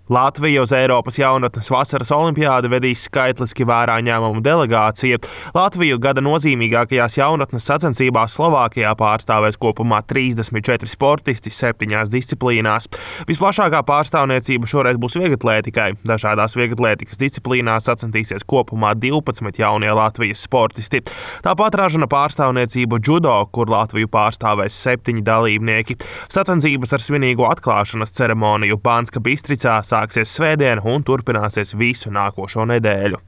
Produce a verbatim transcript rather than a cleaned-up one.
Latvija uz Eiropas jaunatnes vasaras olimpiādi vedīs skaitliski vērā ņēmumu delegācija. Latviju gada nozīmīgākajās jaunatnes sacensībās Slovākijā pārstāvēs kopumā trīsdesmit četri sportisti septiņās disciplīnās. Visplašākā pārstāvniecība šoreiz būs vieglatlētikai. Dažādās vieglatlētikas disciplīnās sacensties kopumā divpadsmit jaunie Latvijas sportisti. Tāpat ražana pārstāvniecību džudo, kur Latviju pārstāvēs septiņi dalībnieki. Sacensības ar svinīgu atklāšanas ceremoniju Banska Bistricā sāksies svētdien un turpināsies visu nākošo nedēļu.